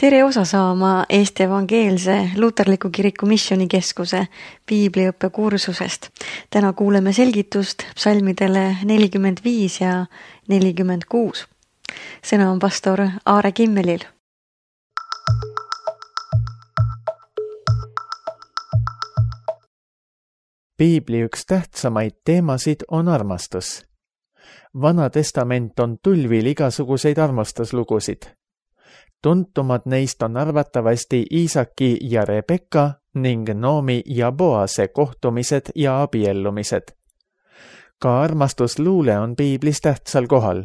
Tere osa saama Eesti Evangeelse Luterliku Kiriku Missioonikeskuse piibliõppekursusest. Täna kuuleme selgitust psalmidele 45 ja 46. Sõna on pastor Aare Kimmelil. Piibli üks tähtsamaid teemasid on armastus. Vana testament on tulvil igasuguseid armastuslugusid. Tuntumad neist on arvatavasti Iisaki ja Rebekka ning Noomi ja Boase kohtumised ja abiellumised. Ka armastusluule on piiblis tähtsal kohal.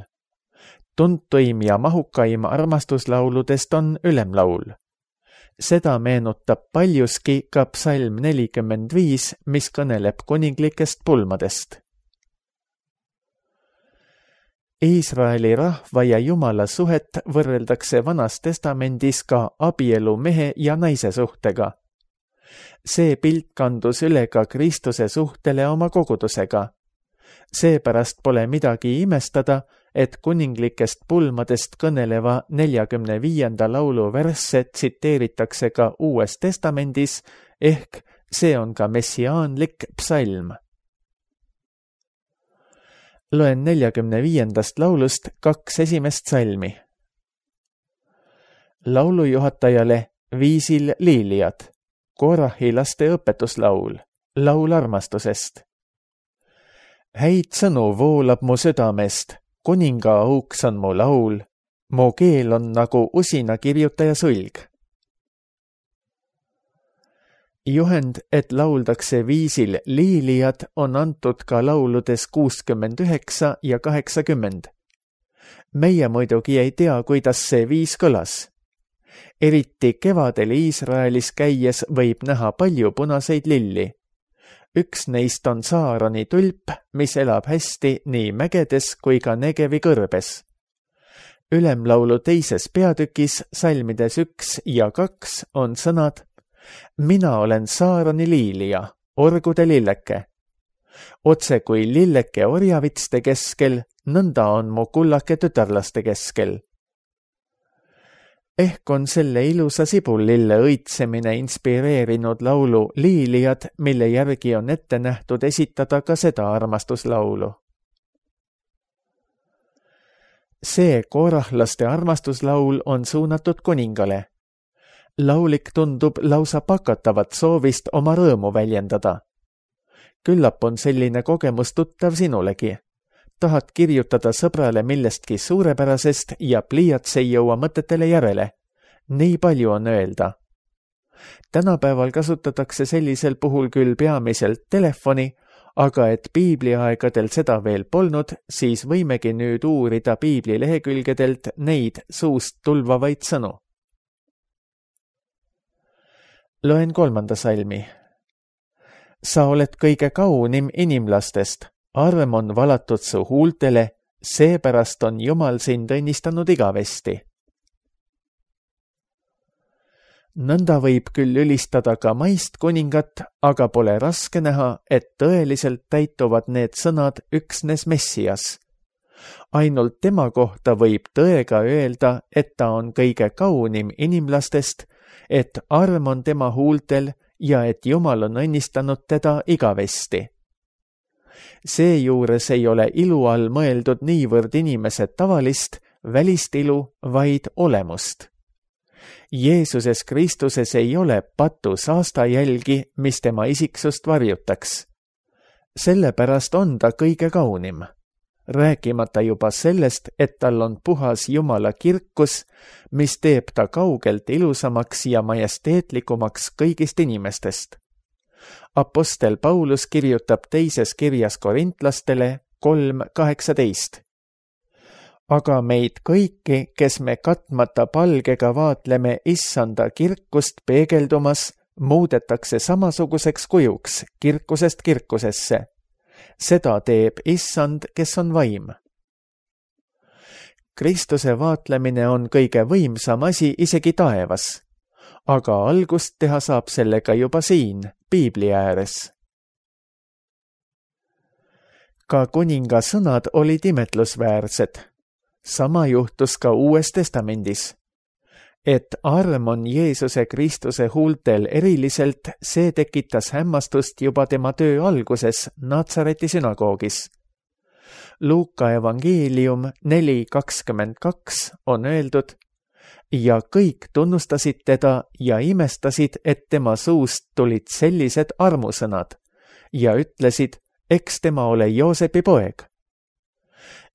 Tuntuim ja mahukaim armastuslauludest on ülemlaul. Seda meenutab paljuski ka psalm 45, mis kõneleb kuninglikest pulmadest. Iisraeli rahva ja Jumala suhet võrreldakse Vanas testamendis ka abielu mehe ja naise suhtega. See pilt kandus üle ka Kristuse suhtele oma kogudusega. Seepärast pole midagi imestada, et kuninglikest pulmadest kõneleva 45. laulu versse tsiteeritakse ka Uues testamendis, ehk see on ka messiaanlik psalm. Loen 45. laulust 2 esimest salmi. Laulujuhatajale viisil liiliad, Korahi laste õpetuslaul, laul armastusest. Häid sõnu voolab mu südamest, kuninga auks on mu laul, mu keel on nagu usina kirjutaja sulg. Juhend, et lauldakse viisil liilijad, on antud ka lauludes 69 ja 80. Meie muidugi ei tea, kuidas see viis kõlas. Eriti kevadel Iisraelis käies võib näha palju punaseid lilli. Üks neist on Saaroni tulp, mis elab hästi nii mägedes kui ka Negevi kõrbes. Ülemlaulu teises peatükis, salmides 1 ja 2 on sõnad: Mina olen Saaroni liilija, orgude lilleke. Otse kui lilleke orjavitste keskel, nõnda on mu kullake tütarlaste keskel. Ehk on selle ilusa sibullille õitsemine inspireerinud laulu Liilijad, mille järgi on ette nähtud esitada ka seda armastuslaulu. See korahlaste armastuslaul on suunatud kuningale. Laulik tundub lausa pakatavat soovist oma rõõmu väljendada. Küllap on selline kogemus tuttav sinulegi. Tahad kirjutada sõbrale millestki suurepärasest ja pliiats ei jõua mõtetele järele. Nii palju on öelda. Tänapäeval kasutatakse sellisel puhul küll peamiselt telefoni, aga et piibliaegadel seda veel polnud, siis võimegi nüüd uurida piibli lehekülgedelt neid suust tulvavaid sõnu. Loen 3. salmi. Sa oled kõige kaunim inimlastest, arm on valatud su huultele, seepärast on Jumal sind õnnistanud igavesti. Nõnda võib küll ülistada ka maist kuningat, aga pole raske näha, et tõeliselt täituvad need sõnad üksnes Messias. Ainult tema kohta võib tõega öelda, et ta on kõige kaunim inimlastest, et arm on tema huultel ja et Jumal on õnnistanud teda igavesti. Seejuures ei ole ilu all mõeldud niivõrd inimese tavalist, välist ilu, vaid olemust. Jeesuses Kristuses ei ole patus aastajälgi, mis tema isiksust varjutaks. Sellepärast on ta kõige kaunim. Rääkimata juba sellest, et tal on puhas Jumala kirkus, mis teeb ta kaugelt ilusamaks ja majesteetlikumaks kõigist inimestest. Apostel Paulus kirjutab teises kirjas korintlastele 3:18. Aga meid kõiki, kes me katmata palgega vaatleme issanda kirkust peegeldumas, muudetakse samasuguseks kujuks kirkusest kirkusesse. Seda teeb issand, kes on vaim. Kristuse vaatlemine on kõige võimsam asi isegi taevas, aga algust teha saab sellega juba siin, piibli ääres. Ka kuninga sõnad olid imetlusväärsed. Sama juhtus ka Uues testamendis. Et arm on Jeesuse Kristuse huultel eriliselt, see tekitas hämmastust juba tema töö alguses Natsareti sünagoogis. Luuka evangeelium 4:22 on öeldud: ja kõik tunnustasid teda ja imestasid, et tema suust tulid sellised armusõnad ja ütlesid, eks tema ole Joosepi poeg.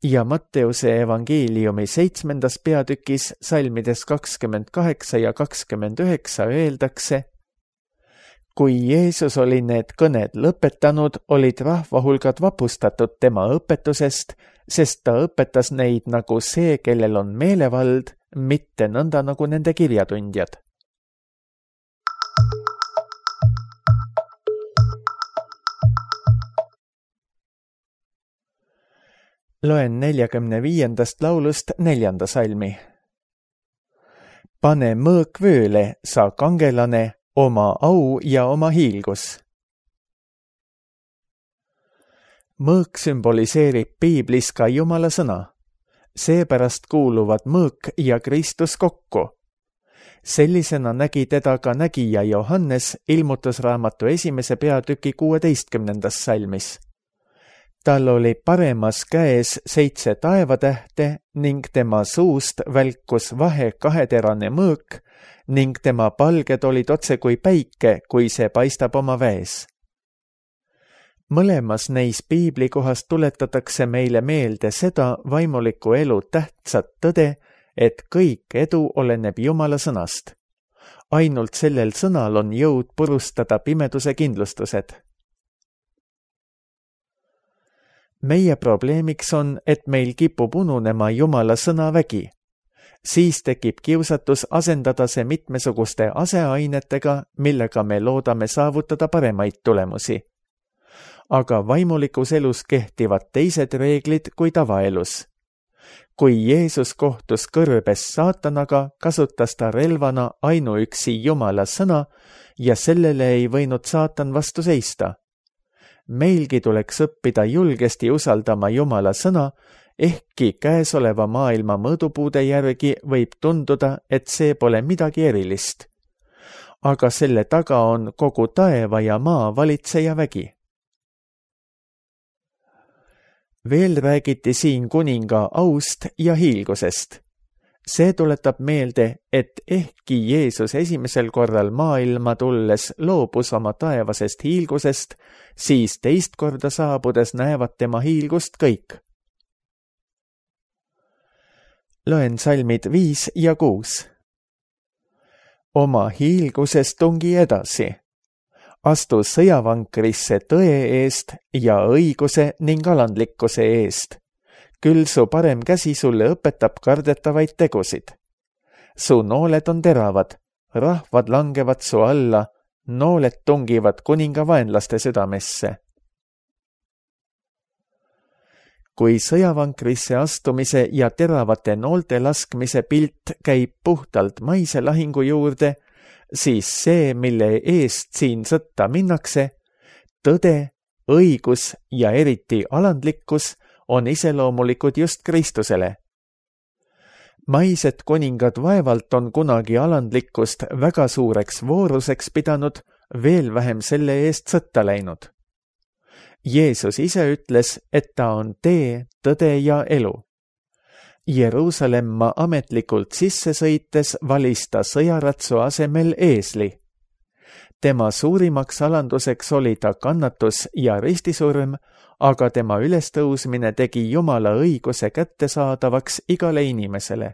Ja Matteuse evangeeliumi 7. peatükis salmides 28 ja 29 öeldakse: kui Jeesus oli need kõned lõpetanud, olid rahvahulgad vapustatud tema õpetusest, sest ta õpetas neid nagu see, kellel on meelevald, mitte nõnda nagu nende kirjatundjad. Loen 45. laulust 4. salmi. pane mõõk vööle, sa kangelane, oma au ja oma hiilgus. Mõõk sümboliseerib piiblis ka Jumala sõna. Seepärast kuuluvad mõõk ja Kristus kokku. Sellisena nägi teda ka nägija Johannes ilmutusraamatu 1. peatüki 16. salmis. Tal oli paremas käes 7 taevatähte ning tema suust välkus kaheterane mõõk ning tema palged olid otse kui päike, kui see paistab oma väes. Mõlemas neis piiblikohas tuletatakse meile meelde seda vaimuliku elu tähtsat tõde, et kõik edu oleneb Jumala sõnast. Ainult sellel sõnal on jõud purustada pimeduse kindlustused. Meie probleemiks on, et meil kipub ununema Jumala sõna vägi. Siis tekib kiusatus asendada see mitmesuguste aseainetega, millega me loodame saavutada paremaid tulemusi. Aga vaimulikus elus kehtivad teised reeglid kui tavaelus. Kui Jeesus kohtus kõrbes saatanaga, kasutas ta relvana ainuüksi Jumala sõna ja sellele ei võinud saatan vastu seista. Meilgi tuleks õppida julgesti usaldama Jumala sõna, ehkki käesoleva maailma mõõdupuude järgi võib tunduda, et see pole midagi erilist. Aga selle taga on kogu taeva ja maa valitseja vägi. Veel räägiti siin kuninga aust ja hiilgusest. See tuletab meelde, et ehkki Jeesus esimesel korral maailma tulles loobus oma taevasest hiilgusest, siis teist korda saabudes näevad tema hiilgust kõik. Loen salmid 5 ja 6. Oma hiilguses tungi edasi. Astu sõjavankrisse tõe eest ja õiguse ning alandlikkuse eest. Küll su parem käsi sulle õpetab kardetavaid tegusid. Su nooled on teravad, rahvad langevad su alla, nooled tungivad kuninga vaenlaste südamesse. Kui sõjavankrisse astumise ja teravate noolte laskmise pilt käib puhtalt maise lahingu juurde, siis see, mille eest siin sõtta minnakse, tõde, õigus ja eriti alandlikkus on iseloomulikud just Kristusele. Maised kuningad vaevalt on kunagi alandlikkust väga suureks vooruseks pidanud, veel vähem selle eest sõtta läinud. Jeesus ise ütles, et ta on tee, tõde ja elu. Jeruusalemma ametlikult sisse sõites valis ta sõjaratsu asemel eesli. Tema suurimaks alanduseks oli ta kannatus ja ristisurm, aga tema ülestõusmine tegi Jumala õiguse kättesaadavaks igale inimesele.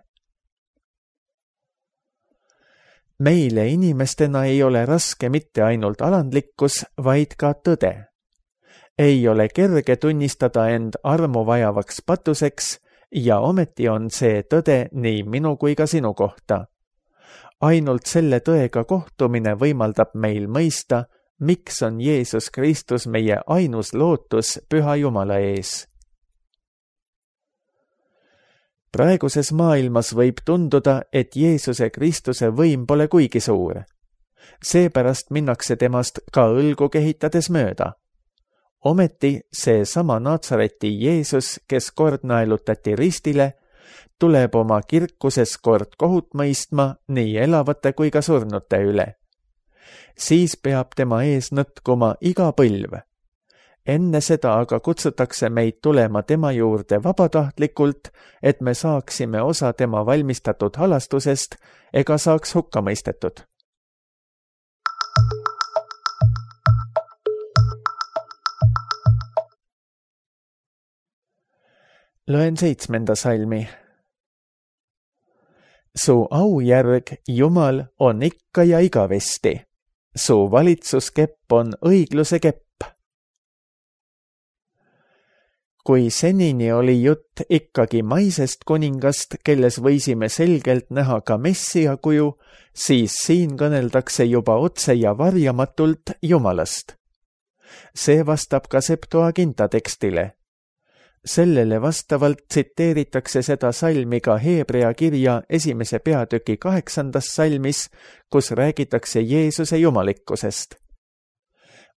Meile inimestena ei ole raske mitte ainult alandlikkus, vaid ka tõde. Ei ole kerge tunnistada end armu vajavaks patuseks ja ometi on see tõde nii minu kui ka sinu kohta. Ainult selle tõega kohtumine võimaldab meil mõista, miks on Jeesus Kristus meie ainus lootus Püha Jumala ees. Praeguses maailmas võib tunduda, et Jeesuse Kristuse võim pole kuigi suur. Seepärast minnakse temast ka õlgu kehitades mööda. Ometi see sama Natsareti Jeesus, kes kord naelutati ristile, tuleb oma kirkuses kord kohut mõistma nii elavate kui ka surnute üle. Siis peab tema ees nõtkuma iga põlv. Enne seda aga kutsutakse meid tulema tema juurde vabatahtlikult, et me saaksime osa tema valmistatud halastusest ega saaks hukka mõistetud. Loen 7. salmi. Su aujärg, Jumal, on ikka ja igavesti. Su valitsuskepp on õigluse kepp. Kui senini oli jutt ikkagi maisest kuningast, kelles võisime selgelt näha ka Messia kuju, siis siin kõneldakse juba otse ja varjamatult Jumalast. See vastab ka Septuaginta tekstile. Sellele vastavalt tsiteeritakse seda salmi ka Hebrea kirja 1. peatüki 8. salmis, kus räägitakse Jeesuse jumalikkusest.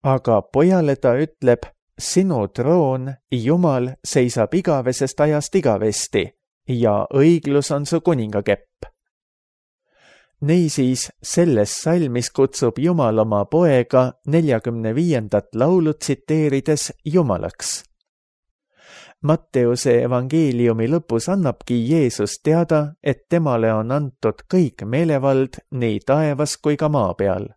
Aga pojale ta ütleb, sinu troon, Jumal, seisab igavesest ajast igavesti ja õiglus on su kuningakepp. Niisiis, selles salmis kutsub Jumal oma poega 45. laulu tsiteerides Jumalaks. Matteuse evangeeliumi lõpus annabki Jeesus teada, et temale on antud kõik meelevald nii taevas kui ka maa peal.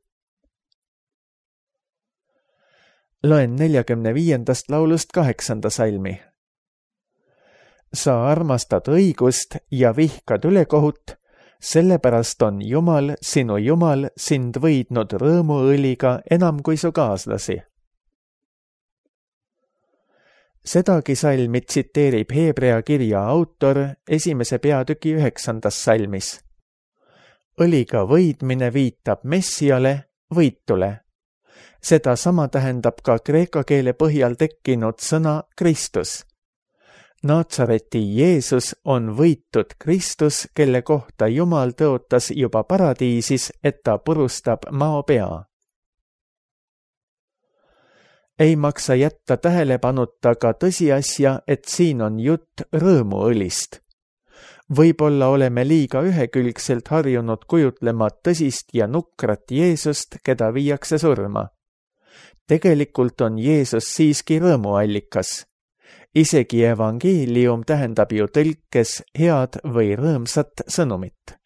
Loen 45. laulust 8. salmi. Sa armastad õigust ja vihkad ülekohut, sellepärast on Jumal, sinu Jumal, sind võidnud rõõmuõliga enam kui su kaaslasi. Sedagi salmi tsiteerib Hebrea kirja autor 1. peatüki 9. salmis. Õliga võidmine viitab Messiale, võitule. Seda sama tähendab ka kreeka keele põhjal tekkinud sõna Kristus. Naatsareti Jeesus on võitud Kristus, kelle kohta Jumal tõotas juba paradiisis, et ta purustab mao pea. Ei maksa jätta tähelepanuta ka tõsiasja, et siin on jutt rõõmuõlist. Võib-olla oleme liiga ühekülgselt harjunud kujutlema tõsist ja nukrat Jeesust, keda viiakse surma. Tegelikult on Jeesus siiski rõõmuallikas. Isegi evangeelium tähendab ju tõlkes head või rõõmsat sõnumit.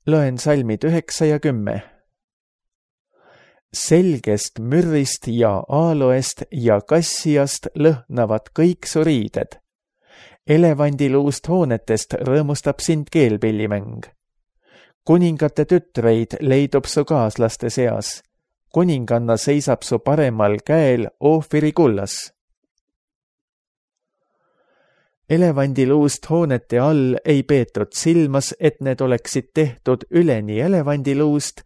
Loen salmid 9 ja 10. Selgest mürrist ja aaloest ja kassiast lõhnavad kõik su riided. Elevandiluust hoonetest rõõmustab sind keelpillimäng. Kuningate tütreid leidub su kaaslaste seas. Kuninganna seisab su paremal käel Oofiri kullas. Elevandiluust hoonete all ei peetud silmas, et need oleksid tehtud üleni elevandiluust,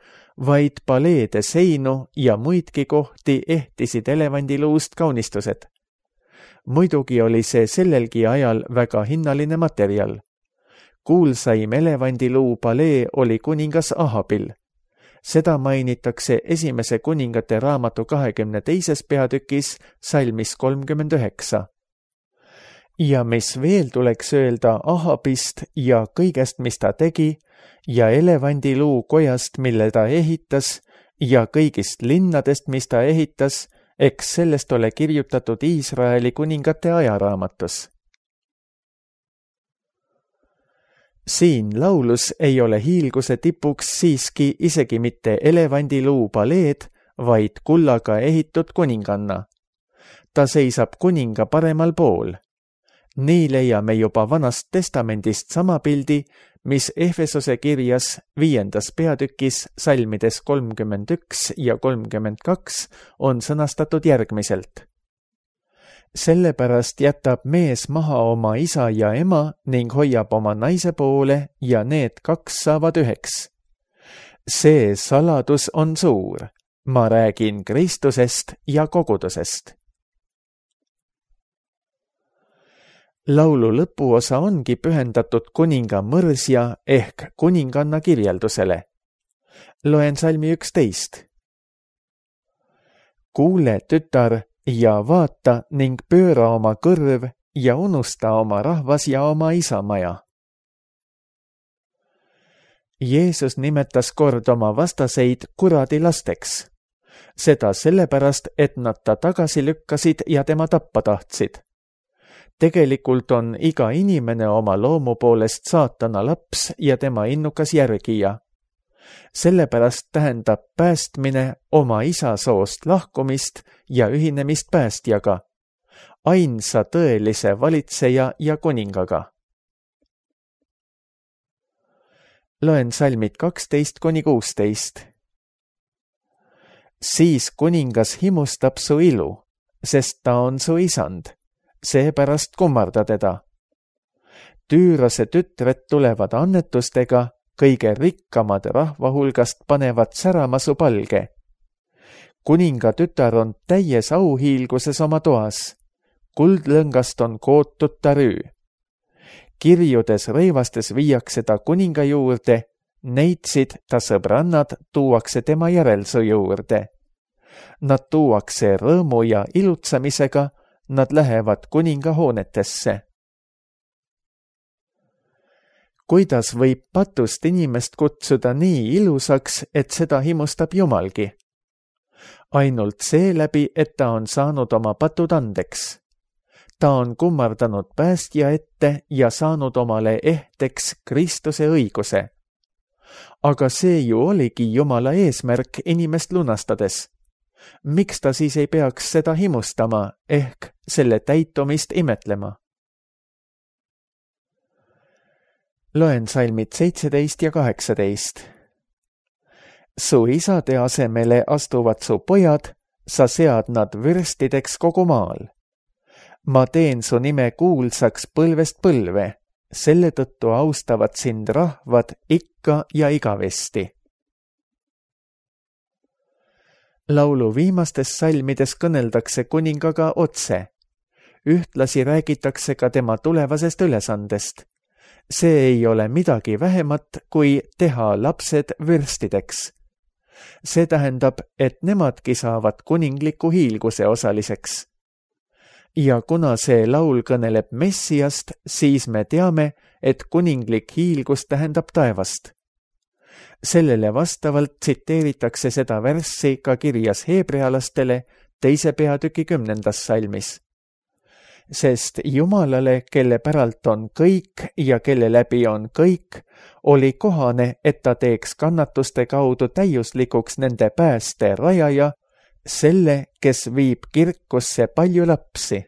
vaid paleede seinu ja muidki kohti ehtisid elevandiluust kaunistused. Muidugi oli see sellelgi ajal väga hinnaline materjal. Kuulsaim elevandiluu palee oli kuningas Ahabil. Seda mainitakse 1. kuningate raamatu 22. peatükis salmis 39. Ja mis veel tuleks öelda Ahabist ja kõigest, mis ta tegi, ja elevandiluu kojast, mille ta ehitas, ja kõigist linnadest, mis ta ehitas, eks sellest ole kirjutatud Iisraeli kuningate ajaraamatus. Siin laulus ei ole hiilguse tipuks siiski isegi mitte elevandiluu paleed, vaid kullaga ehitud kuninganna. Ta seisab kuninga paremal pool. Nii leiame juba Vanast Testamendist sama pildi, mis Efesose kirjas 5. peatükis salmides 31 ja 32 on sõnastatud järgmiselt. Sellepärast jätab mees maha oma isa ja ema ning hoiab oma naise poole ja need kaks saavad üheks. See saladus on suur. Ma räägin Kristusest ja kogudusest. Laulu lõpuosa ongi pühendatud kuninga mõrsja ehk kuninganna kirjeldusele. Loen salmi 11. Kuule, tütar, ja vaata ning pööra oma kõrv ja unusta oma rahvas ja oma isamaja. Jeesus nimetas kord oma vastaseid kuradi lasteks. Seda sellepärast, et nad ta tagasi lükkasid ja tema tappa tahtsid. Tegelikult on iga inimene oma loomu poolest saatana laps ja tema innukas järgija. Sellepärast tähendab päästmine oma isa soost lahkumist ja ühinemist päästjaga, ainsa tõelise valitseja ja kuningaga. Loen salmid 12–16. Siis kuningas himustab su ilu, sest ta on su isand, seepärast kummarda teda. Tüürase tütred tulevad annetustega, kõige rikkamad rahva hulgast panevad särama su palge. Kuninga tütar on täies auhiilguses oma toas, kuldlõngast on kootud ta rüü. Kirjudes rõivastes viiakse ta kuninga juurde, neitsid ta sõbrannad tuuakse tema järelsu juurde. Nad tuuakse rõõmu ja ilutsamisega, nad lähevad kuninga hoonetesse. Kuidas võib patust inimest kutsuda nii ilusaks, et seda himustab Jumalgi? Ainult seeläbi, et ta on saanud oma patud andeks. Ta on kummardanud päästja ette ja saanud omale ehteks Kristuse õiguse. Aga see ju oligi Jumala eesmärk inimest lunastades. Miks ta siis ei peaks seda himustama, ehk selle täitumist imetlema? Loen salmid 17 ja 18. Su isade asemele astuvad su pojad, sa sead nad vürstideks kogu maal. Ma teen su nime kuulsaks põlvest põlve, selle tõttu austavad sind rahvad ikka ja igavesti. Laulu viimastes salmides kõneldakse kuningaga otse. Ühtlasi räägitakse ka tema tulevasest ülesandest. See ei ole midagi vähemat, kui teha lapsed vürstideks. See tähendab, et nemadki saavad kuningliku hiilguse osaliseks. Ja kuna see laul kõneleb Messiast, siis me teame, et kuninglik hiilgus tähendab taevast. Sellele vastavalt tsiteeritakse seda värssi ka kirjas heebrealastele 2. peatüki 10. salmis. Sest Jumalale, kelle päralt on kõik ja kelle läbi on kõik, oli kohane, et ta teeks kannatuste kaudu täiuslikuks nende pääste rajaja, selle, kes viib kirkusse palju lapsi.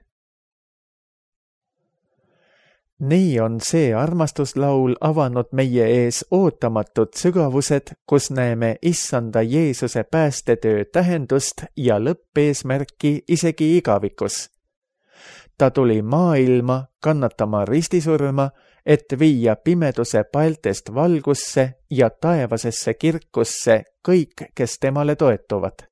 Nii on see armastuslaul avanud meie ees ootamatud sügavused, kus näeme Issanda Jeesuse päästetöö tähendust ja lõppeesmärki isegi igavikus. Ta tuli maailma kannatama ristisurma, et viia pimeduse paeltest valgusse ja taevasesse kirkusse kõik, kes temale toetuvad.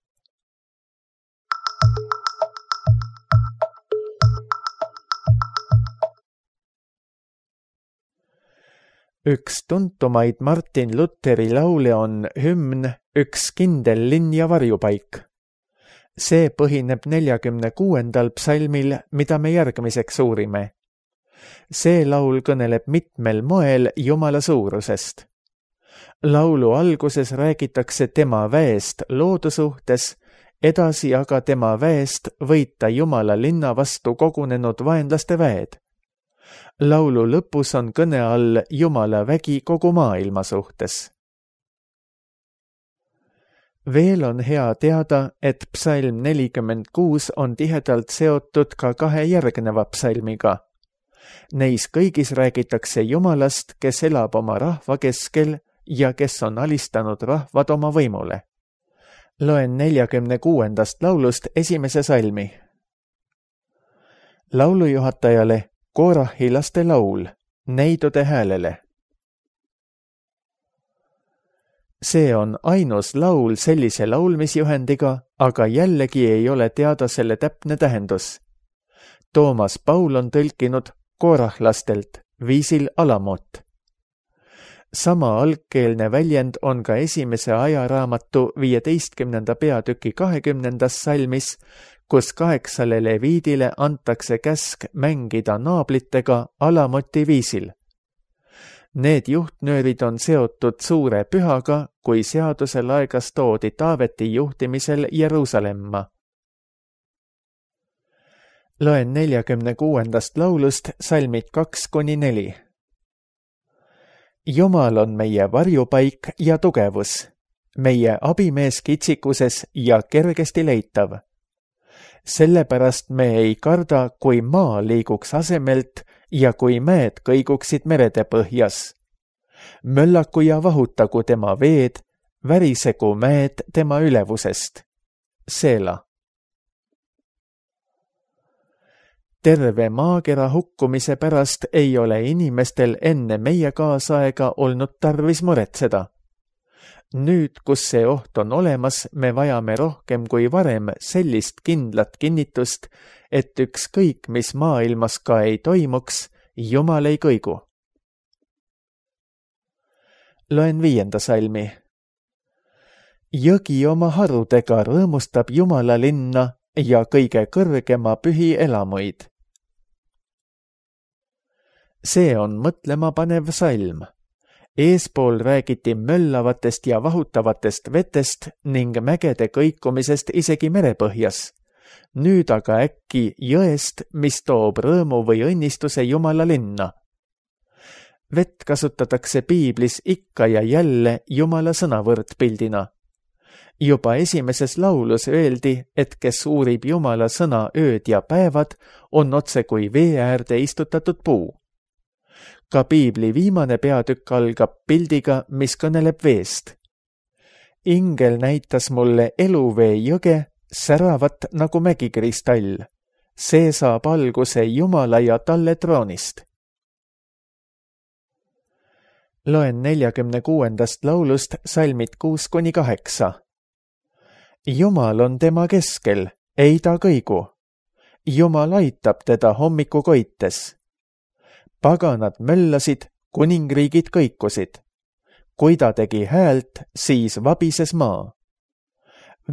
Üks tuntumaid Martin Lutheri laule on hümn Üks kindel linn ja varjupaik. See põhineb 46. psalmil, mida me järgmiseks uurime. See laul kõneleb mitmel moel Jumala suurusest. Laulu alguses räägitakse tema väest loodu suhtes, edasi aga tema väest võita Jumala linna vastu kogunenud vaenlaste väed. Laulu lõpus on kõne all Jumala vägi kogu maailma suhtes. Veel on hea teada, et psalm 46 on tihedalt seotud ka 2 järgneva psalmiga. Neis kõigis räägitakse Jumalast, kes elab oma rahva keskel ja kes on alistanud rahvad oma võimule. Loen 46. laulust 1. salmi. Laulujuhatajale Korahi laste laul, neidude häälele. See on ainus laul sellise laulmisjuhendiga, aga jällegi ei ole teada selle täpne tähendus. Toomas Paul on tõlkinud korahlastelt viisil alamot. Sama algkeelne väljend on ka esimese ajaraamatu 15. peatüki 20. salmis, kus 8 leviidile antakse käsk mängida naablitega alamoti viisil. Need juhtnöörid on seotud suure pühaga, kui seaduse laegas toodi Taaveti juhtimisel Jeruusalemma. Loen 46. laulust salmid 2-4. Jumal on meie varjupaik ja tugevus, meie abimees kitsikuses ja kergesti leitav. Sellepärast me ei karda, kui maa liiguks asemelt ja kui mäed kõiguksid merede põhjas. Möllaku ja vahutagu tema veed, värisegu mäed tema ülevusest. Seela. Terve maakera hukkumise pärast ei ole inimestel enne meie kaasaega olnud tarvis muretseda. Nüüd, kus see oht on olemas, me vajame rohkem kui varem sellist kindlat kinnitust, et ükskõik, mis maailmas ka ei toimuks, Jumal ei kõigu. Loen 5. salmi. Jõgi oma harudega rõõmustab Jumala linna ja kõige kõrgema pühi elamuid. See on mõtlemapanev salm. Eespool räägiti möllavatest ja vahutavatest vetest ning mägede kõikumisest isegi merepõhjas. Nüüd aga äkki jõest, mis toob rõõmu või õnnistuse Jumala linna. Vett kasutatakse piiblis ikka ja jälle Jumala sõnavõrdpildina. Juba esimeses laulus öeldi, et kes uurib Jumala sõna ööd ja päevad, on otse kui vee äärde istutatud puu. Ka piibli viimane peatükk algab pildiga, mis kõneleb veest. Ingel näitas mulle eluvee jõge, säravat nagu mägikristall. See saab alguse Jumala ja talle troonist. Loen 46. laulust salmid 6-8. Jumal on tema keskel, ei ta kõigu. Jumal aitab teda hommikukoites. Paganad möllasid, kuningriigid kõikusid. Kui ta tegi häält, siis vabises maa.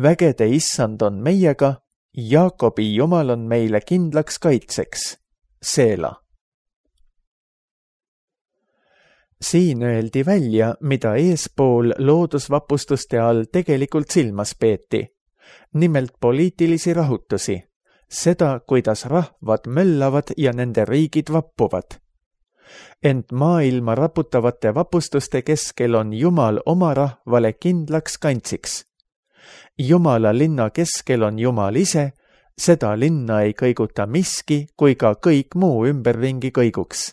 Vägede issand on meiega, Jaakobi Jumal on meile kindlaks kaitseks. Seela. Siin öeldi välja, mida eespool loodusvapustuste all tegelikult silmas peeti. Nimelt poliitilisi rahutusi. Seda, kuidas rahvad möllavad ja nende riigid vappuvad. Ent maailma raputavate vapustuste keskel on Jumal oma rahvale kindlaks kantsiks. Jumala linna keskel on Jumal ise, seda linna ei kõiguta miski, kui ka kõik muu ümberringi kõiguks.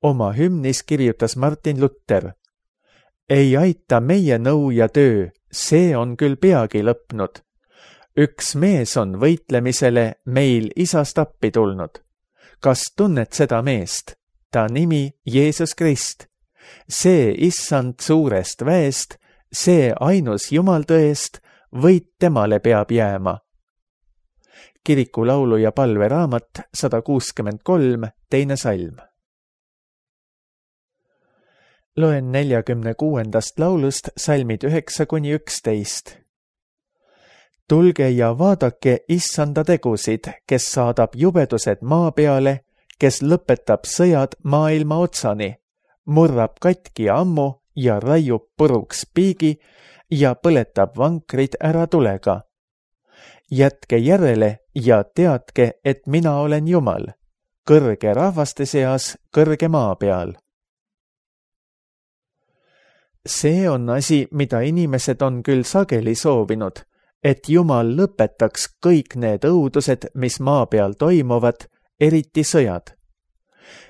Oma hümnis kirjutas Martin Luther. Ei aita meie nõu ja töö, see on küll peagi lõpnud. Üks mees on võitlemisele meil isast appi tulnud. Kas tunned seda meest? Ta nimi Jeesus Krist. See issand suurest väest, see ainus Jumal tõest, võit temale peab jääma. Kiriku laulu ja palveraamat 163, 2. salm. Loen 46. laulust salmid 9-11. Tulge ja vaadake issanda tegusid, kes saadab jubedused maa peale, kes lõpetab sõjad maailma otsani, murrab katki ammu ja raiub puruks piigi ja põletab vankrid ära tulega. Jätke järele ja teadke, et mina olen Jumal, kõrge rahvaste seas, kõrge maa peal. See on asi, mida inimesed on küll sageli soovinud, et Jumal lõpetaks kõik need õudused, mis maa peal toimuvad, eriti sõjad.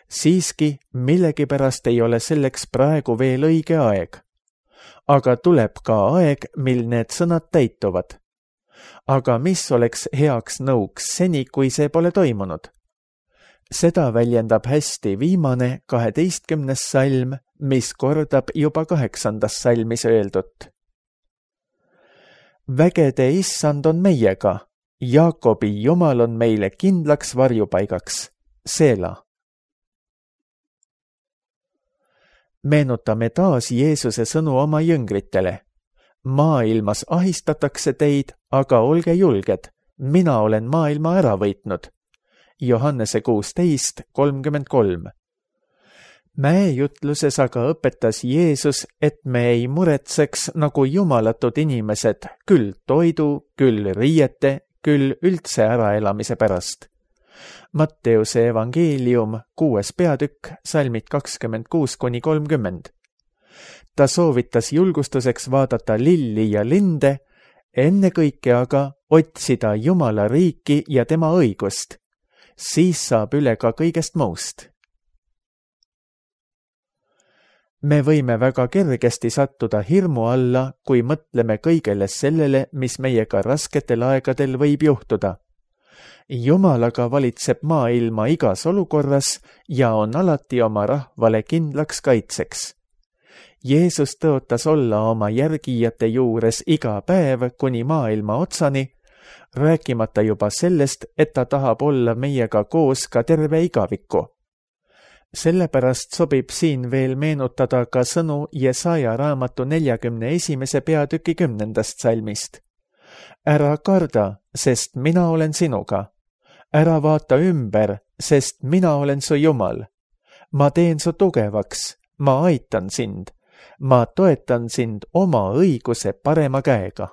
Siiski millegipärast ei ole selleks praegu veel õige aeg. Aga tuleb ka aeg, mil need sõnad täituvad. Aga mis oleks heaks nõuks seni, kui see pole toimunud? Seda väljendab hästi viimane 12. salm, mis kordab juba 8. salmis öeldut. Vägede issand on meiega, Jaakobi Jumal on meile kindlaks varjupaigaks. Seela. Meenutame taas Jeesuse sõnu oma jüngritele. Maailmas ahistatakse teid, aga olge julged, mina olen maailma ära võitnud. Johannese 16:33. Mäejutluses aga õpetas Jeesus, et me ei muretseks nagu jumalatud inimesed, küll toidu, küll riiete, küll üldse äraelamise pärast. Matteuse evangeelium 6. peatükk, salmid 26-30. Ta soovitas julgustuseks vaadata lilli ja linde, ennekõike aga otsida Jumala riiki ja tema õigust. Siis saab üle ka kõigest muust. Me võime väga kergesti sattuda hirmu alla, kui mõtleme kõigele sellele, mis meiega rasketel aegadel võib juhtuda. Jumalaga valitseb maailma igas olukorras ja on alati oma rahvale kindlaks kaitseks. Jeesus tõotas olla oma järgijate juures iga päev kuni maailma otsani, rääkimata juba sellest, et ta tahab olla meiega koos ka terve igaviku. Sellepärast sobib siin veel meenutada ka sõnu Jesaja raamatu 41. peatüki 10. salmist. Ära karda, sest mina olen sinuga. Ära vaata ümber, sest mina olen su Jumal. Ma teen su tugevaks, ma aitan sind. Ma toetan sind oma õiguse parema käega.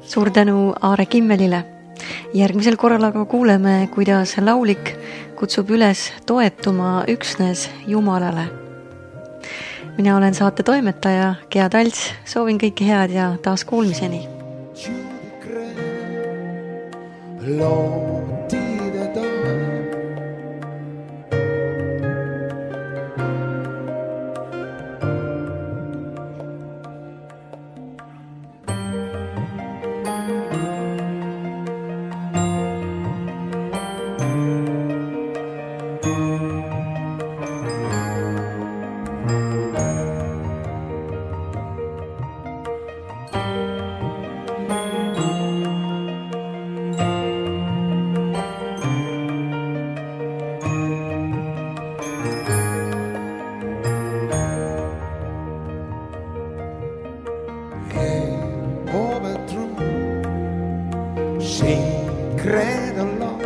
Suur tänu Aare Kimmelile. Järgmisel korral aga kuuleme, kuidas laulik kutsub üles toetuma üksnes Jumalale. Mina olen saate toimetaja Gea Talts, soovin kõike head ja taas kuulmiseni. Credo no,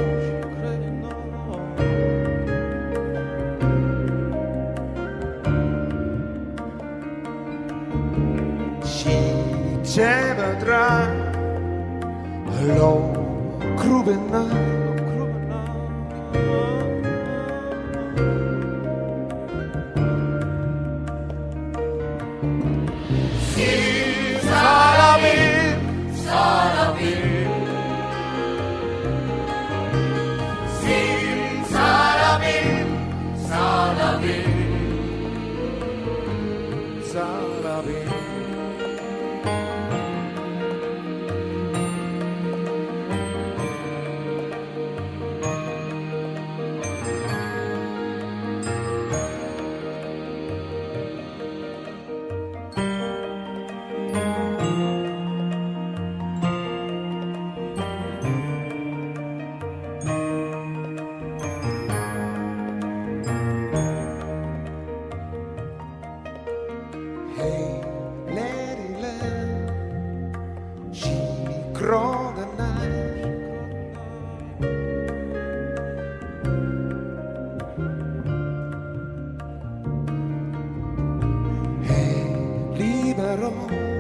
si ce vedrà lo crubenà libero